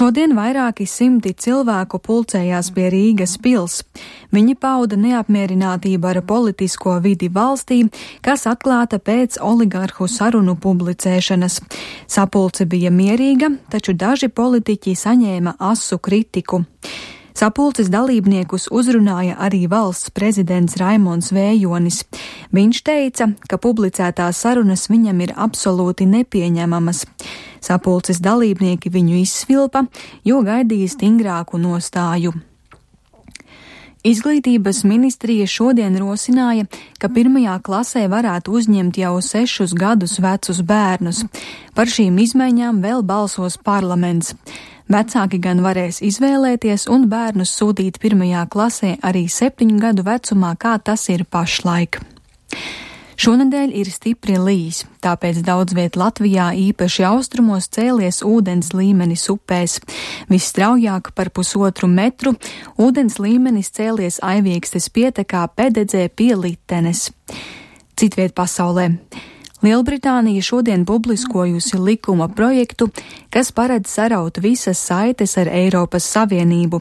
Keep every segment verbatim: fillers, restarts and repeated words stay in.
Šodien vairāki simti cilvēku pulcējās pie Rīgas pils. Viņi pauda neapmierinātību ar politisko vidi valstī, kas atklāta pēc oligarhu sarunu publicēšanas. Sapulce bija mierīga, taču daži politiķi saņēma asu kritiku. Sapulces dalībniekus uzrunāja arī valsts prezidents Raimonds Vējonis. Viņš teica, ka publicētās sarunas viņam ir absolūti nepieņemamas. Sapulces dalībnieki viņu izsvilpa, jo gaidīja stingrāku nostāju. Izglītības ministrija šodien rosināja, ka pirmajā klasē varētu uzņemt jau sešus gadus vecus bērnus. Par šīm izmaiņām vēl balsos parlaments. Vecāki gan varēs izvēlēties un bērnus sūtīt pirmajā klasē arī septiņu gadu vecumā, kā tas ir pašlaik. Šonedēļ ir stipri līs, tāpēc daudz viet Latvijā, īpaši austrumos, cēlies ūdens līmenis upēs. Visstraujāk par pusotru metru ūdens līmenis cēlies Aiviekstes pietekā Pededzē pie Litenes. Citviet pasaulē. Lielbritānija šodien publiskojusi likuma projektu, kas paredz saraut visas saites ar Eiropas Savienību.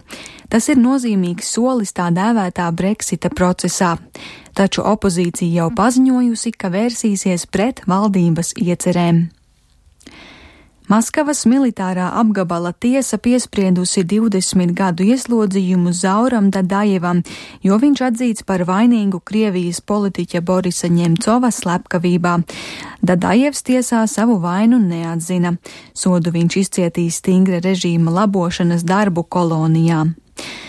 Tas ir nozīmīgs solis tā dēvētā Brexita procesā. Taču opozīcija jau paziņojusi, ka vērsīsies pret valdības iecerēm. Maskavas militārā apgabala tiesa piespriedusi divdesmit gadu ieslodzījumu Zauram Dadajevam, jo viņš atzīts par vainīgu Krievijas politiķa Borisa Ņemcova slepkavībā. Dadajevs tiesā savu vainu neatzina. Sodu viņš izcietīs stingra režīma labošanas darbu kolonijā.